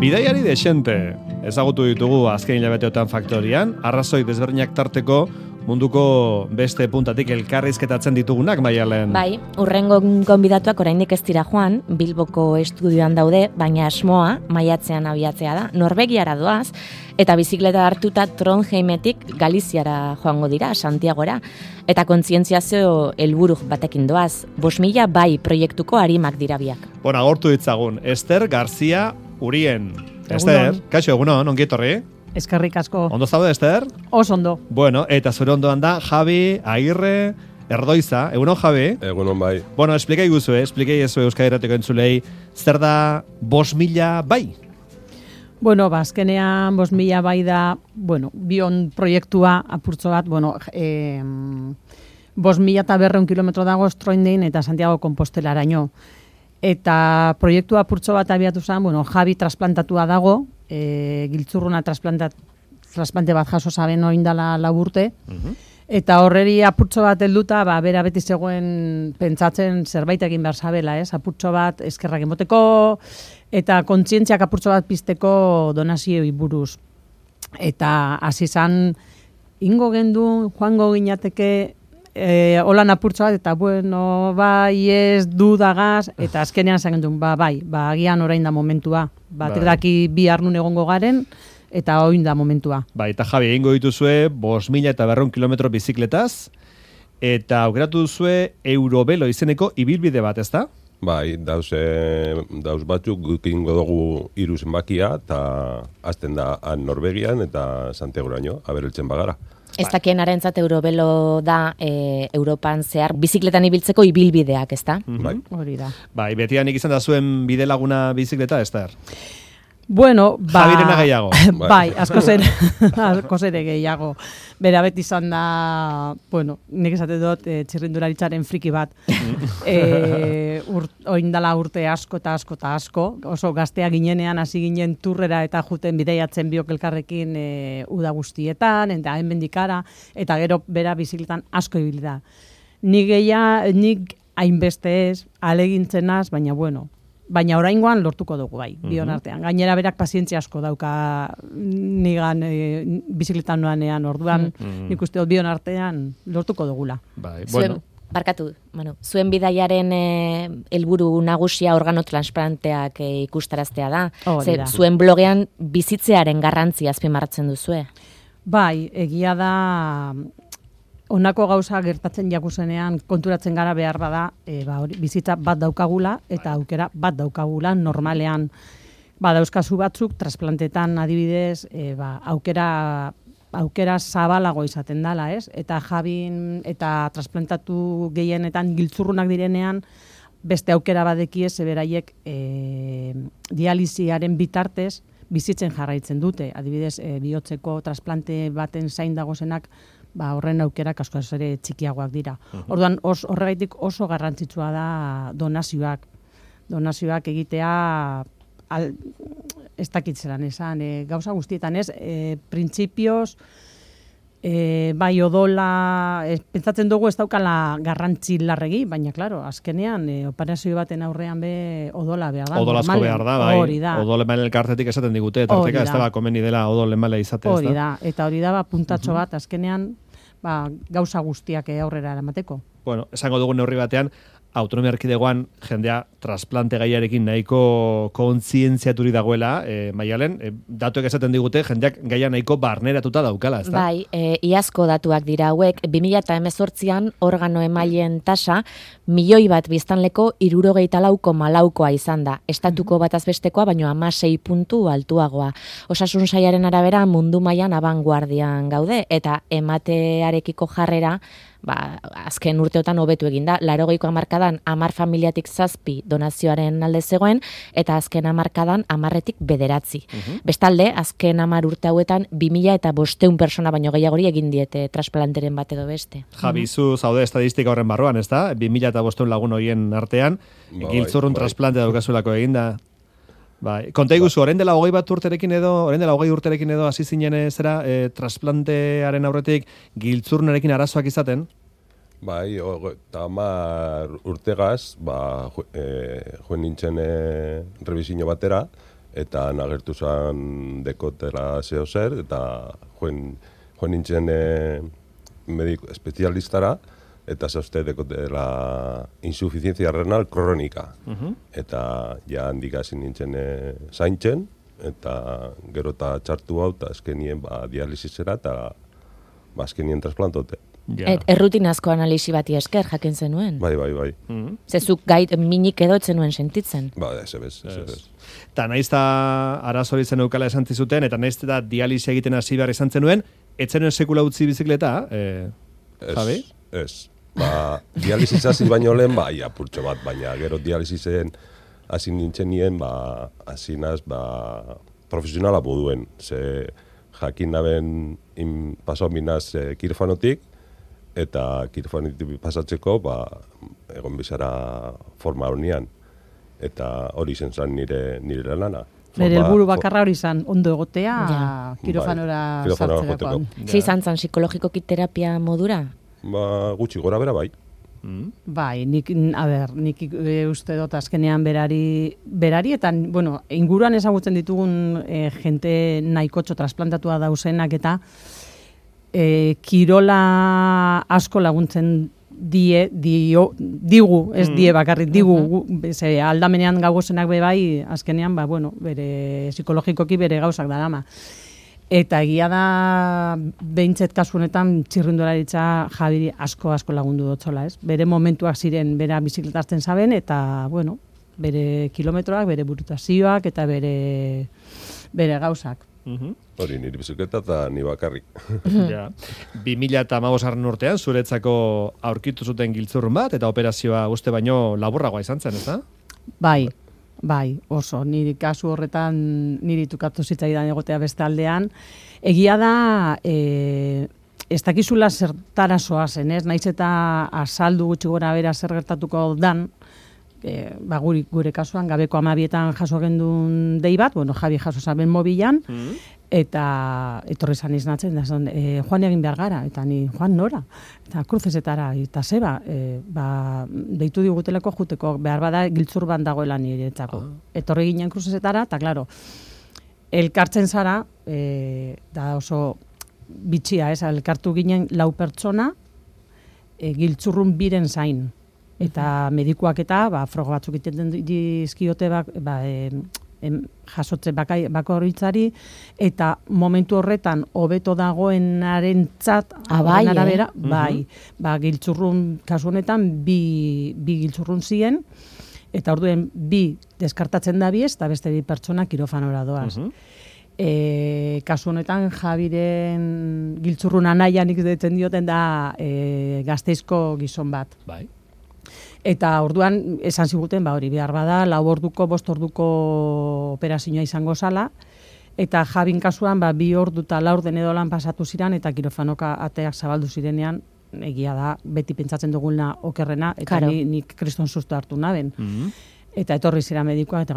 Bidaiari desente ezagutu ditugu azken hilabeteotan faktorian, arrazoi desberdinak tarteko munduko beste puntatik elkarrizketatzen ditugunak, Maialen. Bai, urrengo gonbidatuak oraindik ez dira joan, Bilboko estudioan daude, baina asmoa maiatzean abiatzea da, Norvegiara doaz, eta bizikleta hartuta Trondheimetik Galiziara joango dira, Santiagora, eta kontzientziazio helburu batekin doaz, 5.000 bai proiektuko arimak dira biak. Bueno, agortu ditzagun, Ester García Urien. Ester, kaixo, egunon, ongi etorri? Eskerrik asko. Ondo zaude, Ester? Oso ondo. Bueno, eta zure ondoan da Javi Agirre Erdoiza. Egunon, Javi? Egunon, bai. Bueno, esplikai ezue Euskadi Irratiko entzulei, zer da 5.000 bai? Bueno, azkenean 5.000 bai da, bion proiektua apurtzo bat, 5.200 kilometro dago Stroindein eta Santiago Compostelaraino. Eta proiektua apurtzo bat abiatu zen, Javi trasplantatua dago, giltzurruna trasplante bat jaso zaben oindala 4 urte, eta horreri apurtzo bat helduta, bera beti zegoen pentsatzen zerbait egin behar zabela, apurtzo bat eskerrak emoteko, eta kontzientziak apurtzo bat pizteko donazioi buruz. Eta hasi zan, ingo gendu, joango ginateke, holan apurtzo bat, eta bai ez dudagaz, eta azkenean zagen duen, agian orain da momentua. Daki bi harnun egongo garen, eta orain da momentua. Eta Javi, egingo dituzue 5.200 kilometro bizikletaz, eta aukeratu duzue Eurovelo izeneko ibilbide bat, ezta? Bai, dauz batzuk gukingo dugu 3 zenbakia, eta azten da Norvegian eta Santiagoraino, abereltzen bagara. Ez dakien arentzat Eurovelo da Europan zehar bizikletan ibiltzeko ibilbideak, ezta? Bai. Hori da. Bai, betianik izan da zuen bide laguna bizikleta, Ester? Javirena gehiago. Bai, askoz ere gehiago. Bera beti izan da, nik esate dut txirrindularitzaren friki bat. Oindala urte asko eta asko eta asko. Oso gaztea ginenean hasi ginen turrera eta juten bideiatzen biok elkarrekin uda guztietan, eta hemendik-hara, eta gero bera bizikletan asko ibili da. Nik hainbeste ez, alegintzen az, baina oraingoan lortuko dugu bai, bion artean. Gainera berak pazientzia asko dauka nigan bizikletan noanean, orduan nik uste dut bion artean lortuko dugula. Bai, zuen bidaiaren helburu nagusia organotransplanteak ikustaraztea da. Zuen blogean bizitzearen garrantzia azpimarratzen duzue. Bai, egia da honako gauza gertatzen jakuzenean konturatzen gara behar bada, bizitza bat daukagula eta aukera bat daukagula normalean. Dauzkazu batzuk, trasplantetan adibidez, aukera zabalago izaten dela, ez? Eta Javin eta trasplantatu gehienetan giltzurrunak direnean, beste aukera badekie zeberaiek dialisiaren bitartez bizitzen jarraitzen dute. Adibidez, bihotzeko trasplante baten zain dagozenak, horren aukerak askoz ere txikiagoak dira. Orduan, horregaitik oso garrantzitsua da donazioak. Donazioak egitea, ez dakitzeran esan, gauza guztietan ez, printzipioz, bai odola, pentsatzen dugu ez daukala garrantzi larregi, baina, klaro, azkenean, operazio baten aurrean odola behar da. Odolazko behar da, bai. Hori da. Odolemale elkartetik esaten digute, tarteka ez da komeni dela odolemale izatea. Hori da, eta hori da, puntatxo bat, azkenean, gauza guztiak aurrera eramateko. Bueno, esango dugu neurri batean, autonomia erkidegoan jendea trasplante gaiarekin nahiko kontzientziaturi dagoela, Maialen, datuek esaten digute jendeak gaia nahiko barneratuta daukala, ezta? Bai, iazko datuak dira hauek, 2018an organo emaileen tasa 1.000.000 biztanleko 64,4koa izan da. Estatuko bataz bestekoa, baino 16 puntu altuagoa. Osasun sailaren arabera mundu mailan abanguardian gaude, eta ematearekiko jarrera, azken urteotan hobetu egin da. 80ko hamarkadan 10 familiatik 7 donazioaren alde zegoen, eta azken hamarkadan 10etik 9. Bestalde, azken 10 urte hauetan 2.500 persona baino gehiagori egin diete trasplanteren bat edo beste. Javi, zu zaude estadistika horren barruan, ezta? 2.500 lagun horien artean, giltzurrun trasplante daukazuelako eginda. Bai, konta iguzu, orain dela 20 urterekin edo hasi zinen zera trasplantearen aurretik giltzurnarekin arazoak izaten? Bai, eta 10 urtegaz, joen nintzen revisio batera, eta nagertu zan dekotela zeo zer, eta joen nintzen mediko espezialistara, eta zauzte dekotela insuficiencia renal kronika. Eta ja handik hasi nintzen zaintzen, eta gero eta txartu hau, eta azkenien dialisizera, eta azkenien trasplantote. Errutinazko analisi bati esker jakin zenuen. Bai. Zezuk gait minik edo zenuen sentitzen. Ez. Eta nahiz eta arazori zen eukala esan zizuten, eta nahiz eta dialisi egiten hasi behar izan zenuen, etzenuen sekula utzi bizikleta, Javi? Ez. Dialisizazit baino lehen, apurtxo bat, baina gero dializizen hasi nintzen nien, hasi naz, profesionala moduen. Ze jakin naben pasau minaz kirofanotik, eta kirofanotik pasatzeko, egon bizara forma honian. Eta hori zen zan nire lana. Bere helburu bakarra hori izan, ondo egotea, kirofanora sartzerakoan. Izan zan psikologikoki terapia modura? Gutxi gora bera bai. Bai, nik uste dut azkenean berari, eta, inguruan ezagutzen ditugun jente nahikotxo trasplantatua dauzenak, eta kirola asko laguntzen digu, ez die bakarrik, digu, aldamenean gaugozenak bai, azkenean, bere psikologikoki bere gauzak darama. Eta egia da, behintzet kasu honetan, txirrindularitza Javiri asko lagundu dutzola, ez? Bere momentuak ziren, bera bizikletazten zaben, eta, bere kilometroak, bere burutazioak, eta bere gauzak. Hori, niri bizikleta eta ni bakarrik. 2015 urtean, zuretzako aurkitu zuten giltzurrun bat, eta operazioa uste baino laburragoa izan zen, ez da? Bai, oso, niri kasu horretan niri tukatu zitzaidan egotea beste aldean. Egia da, ez dakizula zertara zoazen, ez? Naiz eta azaldu gutxi gora bera zer gertatuko dan, gure kasuan, gabeko 12etan jaso gendun dei bat, Javi jaso zaben mobilan, eta etorri zan iznatzen, Juan egin behar gara, eta ni, Juan nora? Eta kruzesetara, eta zeba, deitu digutelako juteko, behar bada giltzur ban dagoela niretzako. Etorri ginen kruzesetara, eta klaro, elkartzen zara, da oso bitxia, elkartu ginen 4 pertsona, giltzurrun biren zain. Eta medikuak eta, froga batzuk egiten dizkiote jasotze bakoitzari, eta momentu horretan hobeto dagoenaren txat, arabera, giltzurrun, kasu honetan, bi giltzurrun ziren, eta orduen 2 deskartatzen da biez, eta beste 2 pertsona kirofanora doaz. Kasu honetan, Javiren giltzurrun anaian ikusten dioten da Gasteizko gizon bat. Bai. Eta orduan esan ziguten, hori behar bada, 4 orduko, 5 orduko operazioa izango zala, eta Javin kasuan 2 ordu eta 4 den edo lan pasatu ziren, eta kirofanoka ateak zabaldu zirenean, egia da, beti pentsatzen dugulna okerrena, eta nik kriston susto hartu naben. Eta etorri zira medikoa, eta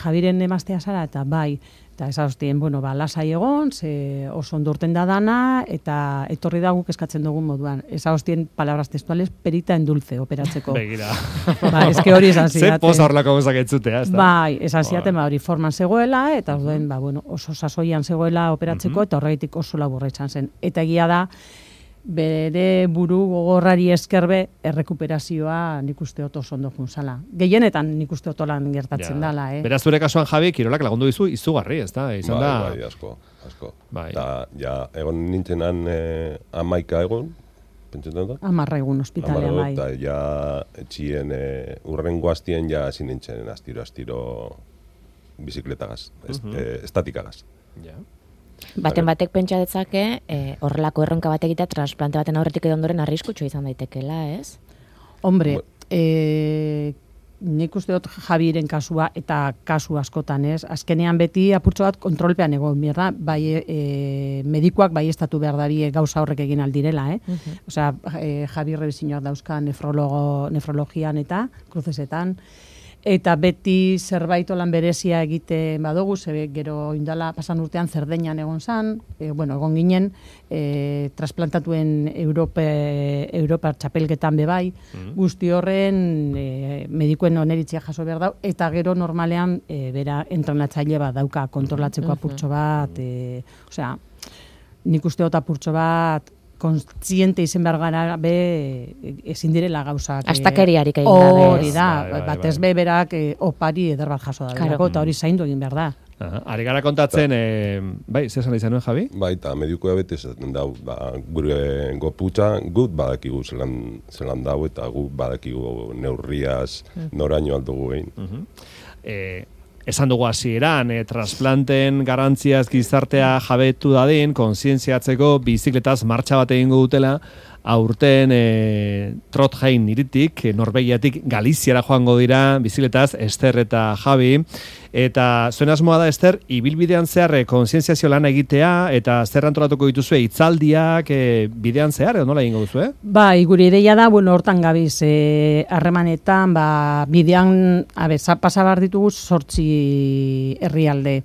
Javiren emaztea zara, eta bai, eta esaztien, lasai egon, oso ondo urten da dana, eta etorri da guk eskatzen dugun moduan. Esaztien, palabras textuales, perita en dulce operatzeko. Begira. Eske hori esan zidaten. Ze poza horlako gozak entzutea, ez da? Bai, esan zidaten, hori forman zegoela, eta orduen, oso sasoian zegoela operatzeko, eta horregitik oso laburra izan zen. Eta egia da, bere buru gogorrari eskerbe errekuperazioa nik uste oto ondo funtzala. Gehienetan nik uste otolan gertatzen dala, Beraz, zure kasuan, Javi, kirolak lagundu dizu izugarri, ez da? Izan da... Bai, asko. Bai. Da, ja, egon nintzenan 11 egun, pentsetan da? 10 egun ospitalean, bai. Eta ja, etxien, urrengo hastien ja hasi nintzen astiro bizikletagaz, estatikagaz. Ja. Batek pentsa detzake, horrelako erronka bat egitea transplante baten aurretik edo ondoren arriskutsua izan daitekela, ez? Hombre, nik uste dut Javiren kasua eta kasu askotan, ez? Azkenean beti apurtxo bat kontrolpean egon, mierda, bai medikuak bai estatu behar darie gauza horrek egin aldirela, Osea, Javi rebizinoak dauzka nefrologian eta kruzesetan, eta beti zerbait olan berezia egite badugu, gero indala pasan urtean Zerdeñan egon zan, egon ginen, trasplantatuen Europa txapelketan bebai, guzti horren medikuen oneritzia jaso behar dau, eta gero normalean bera entrenatzaile bat dauka kontrolatzeko apurtxo bat, osea, nik uste dut apurtxo bat, kontziente izen behar gara ezin direla gauzak. Astakeriarik egin gabe. Hori da, batez berak opari eder bat jaso da. Eta hori zaindu egin behar da. Ari gara kontatzen, bai, zesan izan nuen, Javi? Bai, eta medikoa bete esaten dau, gure goputza gut badakigu zelan dau, eta gu badakigu neurriaz noraino aldugu egin. Esan dugu hasieran, trasplanten garrantziaz gizartea jabetu dadin, kontzientziatzeko bizikletaz martxa bat egingo dutela, aurten Trondheim iritik, Norvegiatik Galiziara joango dira, bizikletaz Ester eta Javi, eta zuen asmoa da, Ester, ibilbidean zehar kontzientziazio lana egitea, eta zer antolatuko dituzue hitzaldiak bidean zehar, edo nola egingo duzue? Bai, gure ideia da, hortan gabiz, harremanetan, bidean, pasabar ditugu 8 herrialde.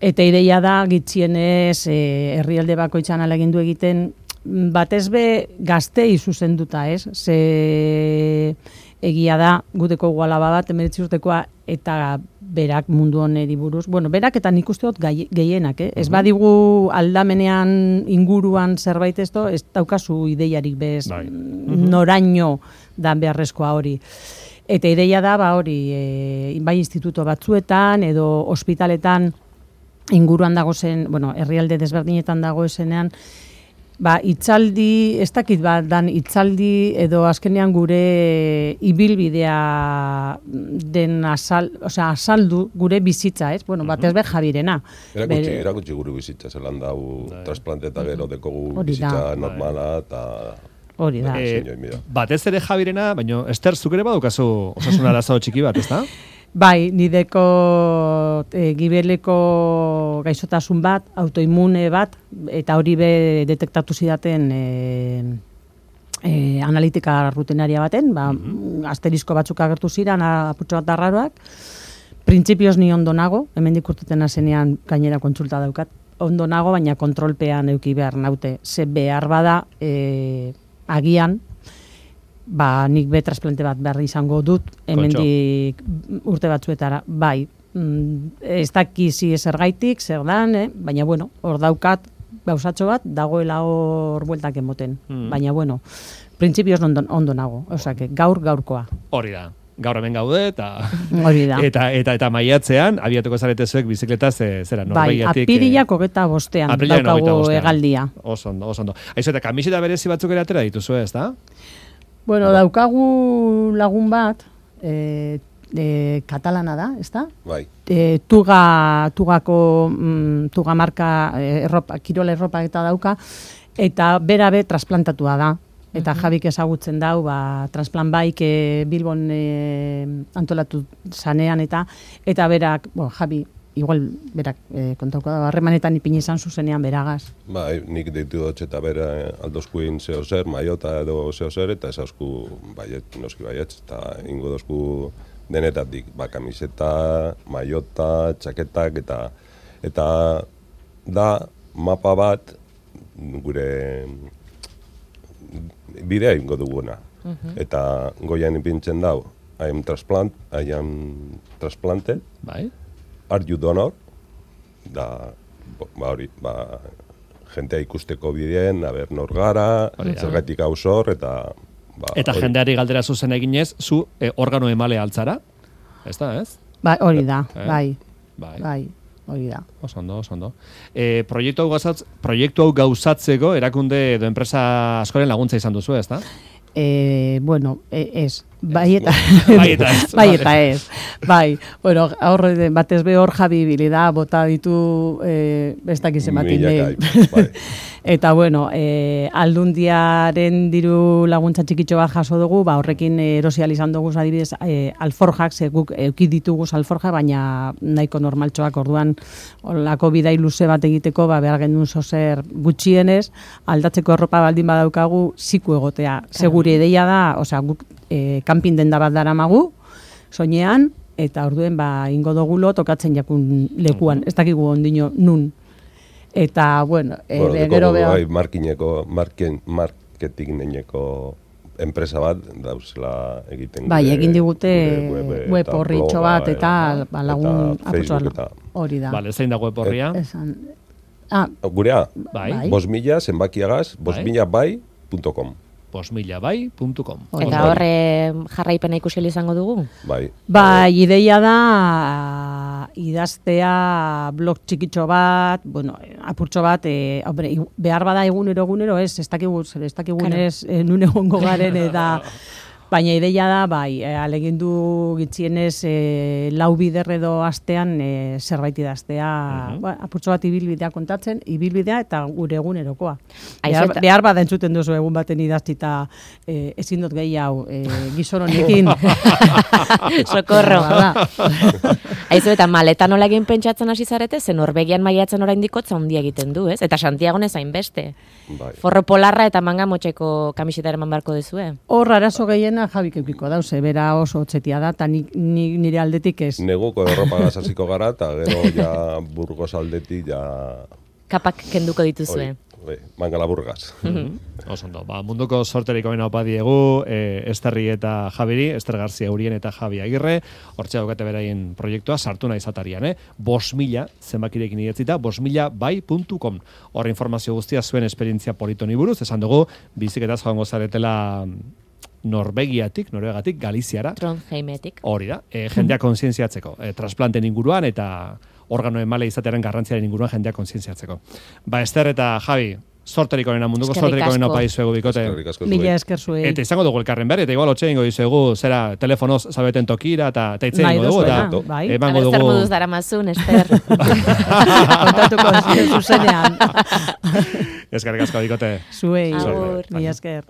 Eta ideia da, gitxienez, herrialde bakoitzan alegindu egiten, batez be gaztei zuzenduta, ez? Ze egia da, guteko gualaba bat, 19 urtekoa, eta berak mundu honeri buruz. Berak eta nik uste dut gehienak, Ez badigu aldamenean inguruan zerbait ez daukazu ideiarik bez, noraino da beharrezkoa hori. Eta ideia da, hori, bai instituto batzuetan, edo ospitaletan inguruan dagozen, herrialde desberdinetan dagoezenean, itzaldi, ez dakit dan itzaldi edo azkenean gure ibilbidea den azaldu gure bizitza, ez? Batez be Javirena. Erakutsi gure bizitza, zelan dau trasplante eta gero dekogu bizitza normala eta... Hori da. Batez ere Javirena, baina Ester, zuk ere badukazu osasun arazo txiki bat, ez da? Bai, nideko gibeleko gaixotasun bat, autoimune bat, eta hori be detektatu zidaten analitika rutenaria baten, asterisko batzuk agertu ziren, apurtxo bat arraroak. Printzipioz ni ondo nago, hemendik urteten azenean gainera kontsulta daukat, ondo nago, baina kontrolpean euki behar naute. Ze behar bada agian, nik be trasplante bat behar izango dut, hemendik urte batzuetara, bai, ez dakizi zergaitik, zer dan, baina hor daukat, gauzatxo bat, dagoela hor bueltak emoten, baina printzipioz ondo nago, osake, gaurkoa. Hori da. Gaur hemen gaude, eta maiatzean, abiatuko zaretezuek bizikletaz, zera, Norvegiatik... Bai, apirilak 25 daukago hegaldia. Oso ondo. Aizu, eta kamiseta berezi batzuk ere atera dituzu, ez da? Daukagu lagun bat, katalana da, ez da? Bai. Tuga marka kirola erropa eta dauka, eta berabe trasplantatua da. Eta Javik ezagutzen dau, transplant baik Bilbon antolatu zanean, eta berak, Javi, igual berak kontauko da, harremanetan ipini izan zuzenean beragaz. Bai, nik deitu dut eta bera aldozkuin zeo zer, maiota edo zeo zer, eta ezauzku baiet, noski baiet, eta ingo dozku denetatik, kamiseta, maiota, txaketak, eta da mapa bat gure bidea ingo duguna. Eta goian ipintzen dau, I am transplanted, bai. Are you donor? Da, hori, jentea ikusteko bideen, nor gara, zergatik gauzor, eta... Eta jendeari galdera zuzen eginez, zu organo emale altzara? Ez da, ez? Bai, hori da, bai, hori da. Oso ondo. Proiektu hau gauzatzeko erakunde edo enpresa askoren laguntza izan duzu, ez da? Bueno, ez. Bai eta ez. Bai, bueno, batez be hor Javi Bilida bota ditu ez dakiz ematin. Eta bueno, aldundiaren diru laguntza txikitxo bat jaso dugu, horrekin erosial izan dugu adibidez alforjak, ze guk euki ditugu alforja, baina nahiko normaltxoak orduan olako bidai luze bat egiteko, behar gendun zozer gutxienez, aldatzeko erropa baldin badaukagu, ziku egotea. Seguri ideia da, osea, guk kanpin denda bat daramagu, soinean, eta orduen ingo dugulo tokatzen jakun lekuan, ez dakigu ondino nun. Eta, bueno, gero behar... marketingineko enpresa bat dauzela egiten. Bai, egin digute web horritxo bat eta lagun apurtzoa hori da. Bale, zein da web horria? Gurea, 5.000 zenbakiagaz, 5.000bai.com. 5.000bai.com. Eta horre jarraipena ikusi izango dugu? Bai, ideia da idaztea blog txikitxo bat, bueno, apurtxo bat, behar bada egunero ez dakigunez nun egongo garen eta baina ideia da, alegindu gitzienez lau bider edo astean zerbait idaztea, apurtxo bat ibilbidea kontatzen, ibilbidea eta gure egunerokoa. Behar bada entzuten duzu egun baten idaztita ezin dut gehi hau gizon honekin. Sokorro. Aizu, eta maleta nola egin pentsatzen hasi zarete, zen Norvegian maiatzen oraindik hotza handia egiten du, ez? Eta Santiago ez hainbeste. Forro polarra eta manga motxeko kamiseta eman beharko duzue. Hor arazo gehiena Jabik eukiko dauze, bera oso otzetia da, eta nire aldetik ez. Neguko erropa gazaziko gara, eta gero ja Burgos aldetik ja... Kapak kenduko dituzue. Mangala Burgas. Osondo, munduko sorterik omen opa diegu, Esterri eta Javiri, Ester Garzia Urien eta Javi Agirre, hortxe daukate beraien proiektua, sartu nahi zatarian, 5.000 zenbakirekin idatzita, 5.000bai.com. Horre informazio guztia zuen esperientzia politoni buruz, esan dugu, biziketaz joango zaretela Norvegiatik, Galiziara. Trondheimetik. Hori da, jendea kontzientziatzeko, transplanten inguruan eta organo emale izatearen garrantziaren inguruan jendea kontzientziatzeko. Ester eta Javi, sorterik onena, munduko sorterik onena opa izuegu bikote. Mila esker zuei. Eta izango dugu elkarren berri, eta igual otxe ingo izuegu, zera telefonoz zabeten tokira, eta itzen ingo dugu, eta emango dugu... Ester moduz dara mazun, Ester. Kontatuko zuzenean. Eskerrik asko bikote. Zuei, mila esker.